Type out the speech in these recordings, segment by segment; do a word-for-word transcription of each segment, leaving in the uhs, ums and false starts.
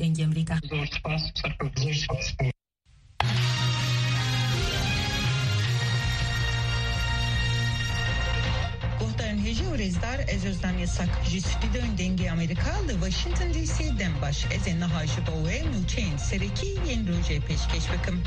Dengê Amerîka. Zor spas, zor spas. Guhdarên hêjî û rêzdar, ez Ozlem Yasak. Ji stûdyoyên Dengê Amerîka li Washington D C dem baş. Ez ê niha ji bo we nûçeyên serekî yên rojê pêşkêş bikim.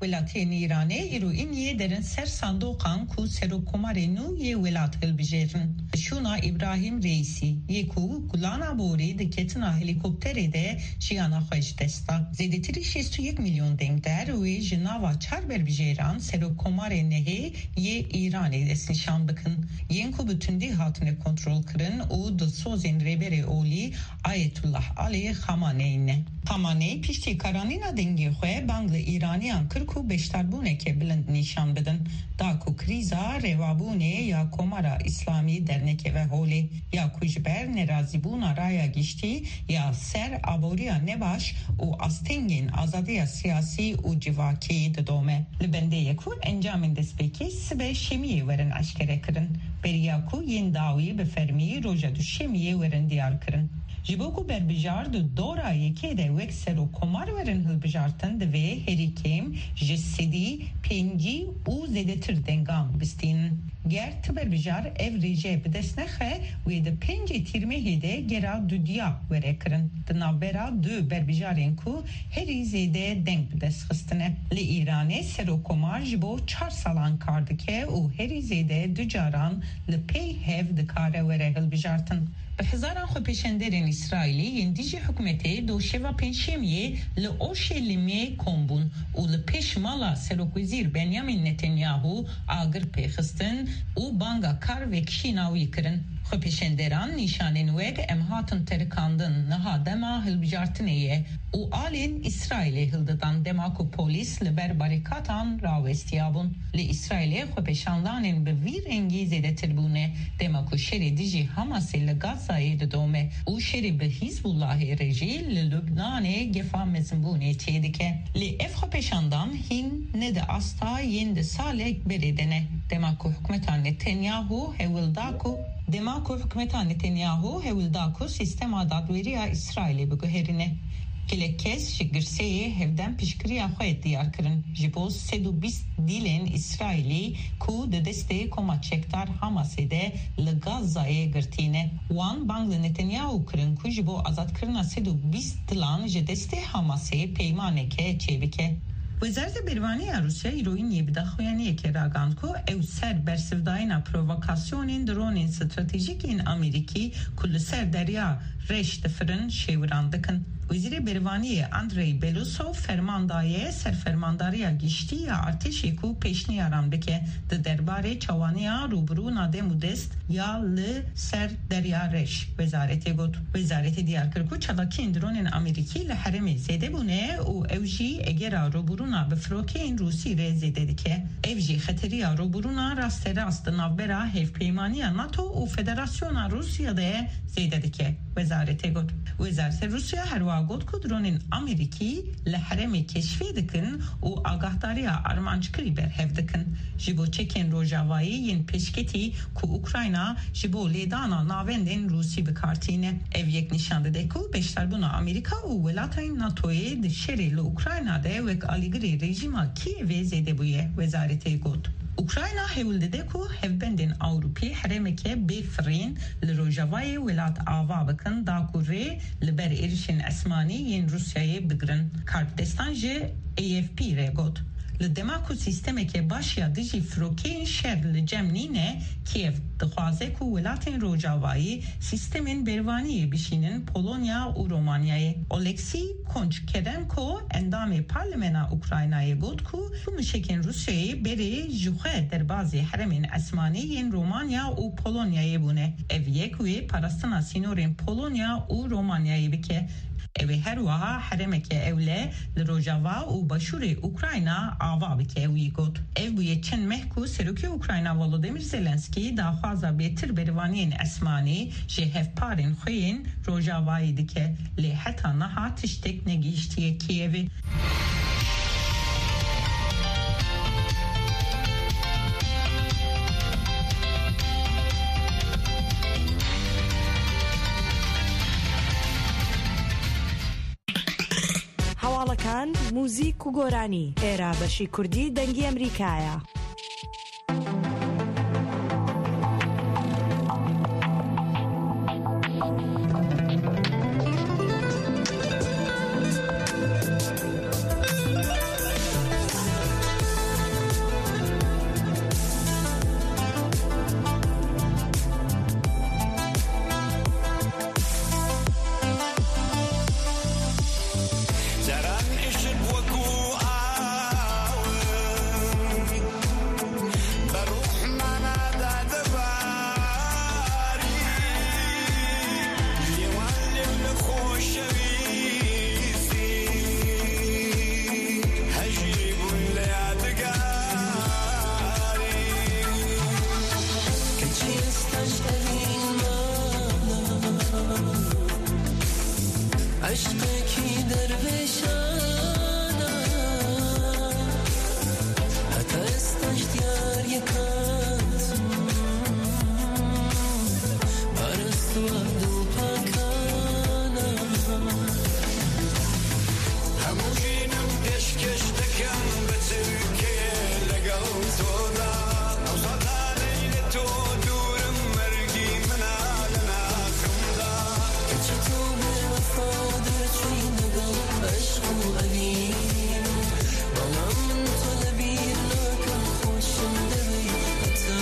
Welatiyên Îranê îro îniyê derin ser sandoqan ku serokkomarê nû yê welat hilbijêrin. Şûna Îbrahîm Reîsî yê ku gulana borî di ketina helîkopterê de jiyana xwe ji dest da. Zêdetirî şêst û yek milyon dengdar wê ji nava çar berbijêran serokkomarê nehê yê Îranê destnîşan bikin, yên ku bi tundî hatine kontrolkirin û dilsozên Rêberê Olî Ayetullah Alî Xamaneyî ne. Xamaneyî piştî karanîna dengê xwe bang li Îraniyan kir ku beşdarbûneke bilind nîşan bidin, da ku krîza rewabûnê ya Komara Îslamî dernekeve holê, ya ku ji ber nerazîbûna raya giştî ya ser aboriya nebaş û astengên azadiya siyasî û civakî didome. Li bendê ye ku encamên destpêkê sibe şemiyê werin eşkere kirin, beriya ku yên dawî bi fermî roja duşemiyê werin diyar kirin. Ji bo ku berbijar di dora yekê de wek serokkomar werin hilbijartin, divê herî kêm ji sedî pêncî û zêdetir dengan bistînin. Ger ti berbijar ev rêje bi dest nexe, wê di pêncê Tîrmehê de gera dudiya were kirin. Di navbera du berbijarên ku herî zêde deng bi dest xistine. Li Îranê serokkomar ji bo çar salan kar dike û herî zêde du caran li pey hev dikare were hilbijartin. Bi hezaran xwepêşenderên Îsraîlî yên dijî hikûmetê do şeva Pêncşemiyê li Orşelîmê kom bûn û li pêş mala Serokwezîr Benyamin Netanyahu agir pê xistin û banga kar vekişîna wî kirin. Xwepêşenderan nîşanên wek "Em hatin terikandin, niha dema hilbijartinê ye" û alên Îsraîlê hildidan, dema ku polîs li ber barîkatan rawestiyabûn. Li Îsraîlê xwepêşandanên bi vî rengî zêdetir bûne, dema ku şerê dijî Hamasê li Gazayê didome û şerê bi Hîzbullahê re jî li Lubnanê gefa mezinbûnê çêdike. Lê ev xwepêşandan hîn ne di asta yên di salek berê de ne, dema ku hikûmeta Netanyahu hewl da ku, dema ku hikûmeta Netanyahu hewl da ku sîstema dadweriya Îsraîlê biguherîne. Gelek kes ji girseyê hevdem piştgiriya xwe diyar kirin ji bo sed û bîst dîlên Îsraîlî ku di destê koma çekdar Hamasê de li Gazayê girtî ne. Wan bang li Netanyahu kirin ku ji bo azadkirina sed û bîst dilan ji destê Hamasê peymaneke çêbike. Wezareta Bervanî ya Rûsya îro îniyê bi daxuyaniyekê ragihand ku ew ser bersivdayîna provokasyonên dronên stratejîk yên Amerîkî ku li ser Derya Reş difirin, şêwiran dikin. Wezîrê Bervaniyê Andrey Belousov ferman daye Serfermandariya Giştî ya Artêşê ku pêşniyaran bike di derbarê çawaniya rûbirûna dem û dest ya li ser Derya Reş, wezaretê got. Wezaretê diyar kir ku çalakiyên dronên Amerîkî li herêmê zêde bûne û ew jî egera rûbirûna bi firokeyên Rûsî re zêde dike. Ev jî xeteriya rûbirûna rasterast di navbera Hevpeymaniya NATO û Federasyona Rûsya de zêde dike, wezaretê got. Wezareta Rûsya herwiha got ku dronên Amerîkî li herêmê keşfê dikin û agahdariya armanckirî berhev dikin. Ji bo çekên rojavayî yên pêşketî ku Ukrayna ji bo lêdana navendên Rûsî bi kar tîne. Ev yek nîşan dide ku beşdarbûna Amerîka û welatên NATOyê di şerê li Ukrayna de wek alîgirê rejîma Kîevê zêde bûye, wezaretê got. Ukrayna hewl dide ku hevbendên Ewropî herêmeke bê firîn li rojavayê welat ava bikin, da ku rê li ber êrişên esmanî yên Rûsyayê bigirin. Karbidestan ji A F P re got, li dema ku sîstemeke baş ya dijî firokeyên şer li cem nîne, Kiev dixwaze ku welatên rojavayî sîstemên bervaniyê bişînin Polonya û Romanyayê. Oleksî Konçkerenko, endamê Parlemena Ukraynayê, got ku tu muşekên Rûsyayê berê ji xwe derbazî herêmên esmanî yên Romanya û Polonyayê bûne. Ev yek wê parastina sînorên Polonya û Romanyayê bike. Ew ê her wiha herêmeke ewle li rojava û başûrê Ukrayna ava bike, wî got. Ev bûye çend meh ku Serokê Ukrayna Volodymyr Zelensky daxwaza bêtir bervaniyên esmanî ji hevparên xwe yên rojavayî dike, lê heta niha tiştek negihiştiye Kiyevê. An, muzîk û goranî. Êra beşî kurdî Dengî Emerîkaya. Caran îşq wekû aw e, bi ruhmana de dibarî. Lê wan lê li xweşewîstî, hejî bûn li yadigarî. Keçî ez taş evîn mana. Eşqekî dervêşana, heta ez taşt yar yikat, parastwa dil pakana. Hemû jînim pêşkêş dikim bi tirkê legel to da. Ew satanê li to dûrim, mergî min a li naxim da. Keçî tu bêwefa derçûyî legel eşq û evîn. Bala min tu li bîr nakim, xweşim divê heta.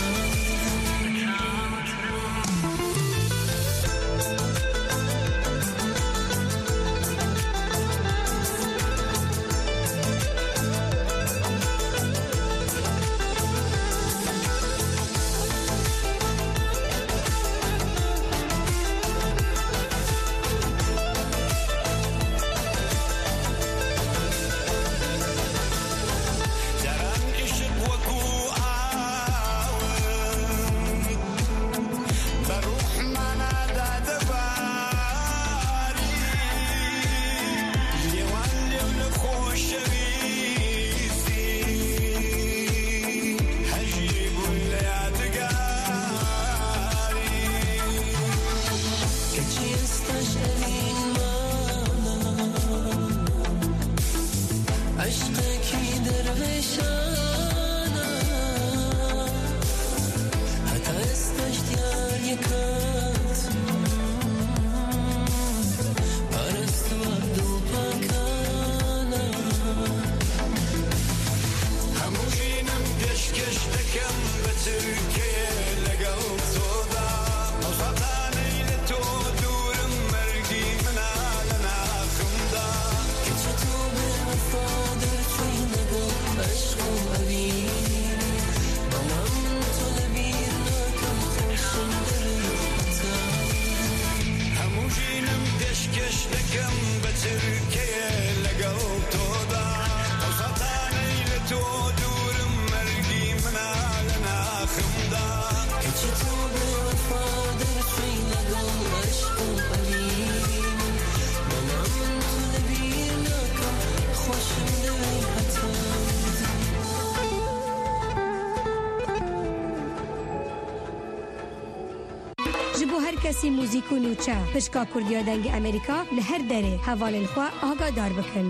Caran îşq wekû aw e, bi ruhmana de dibarî. Lê wan lê li xweşewîstî, hejî bûn li yadigarî. Keçî ez taş evîn mana, eşqekî dervêşana, heta ez taşt yar yikat, parastwa dil pakana. Hemû jînim pêşkêş dikim bi tirkê legel to da. Ew satanê li to dûrim, mergî min a li naxim da. Keçî tu bêwefa derçûyî legel eşq û evîn. Bala min tu li bîr nakim, xweşim divê heta. Hemû jînim pêşkêş dikim bi tirkê legel to da. Ew satanê li to dûrim, mergî min a li naxim da. Keçî tu bêwefa derçûyî legel eşq û evîn. Bala min tu li bîr nakim, xweşim divê heta. Ji bo her kesî muzîk û nûçe, pişka Kurdiya Dengê Amerîka li her derê hevalên xwe agahdar bikin.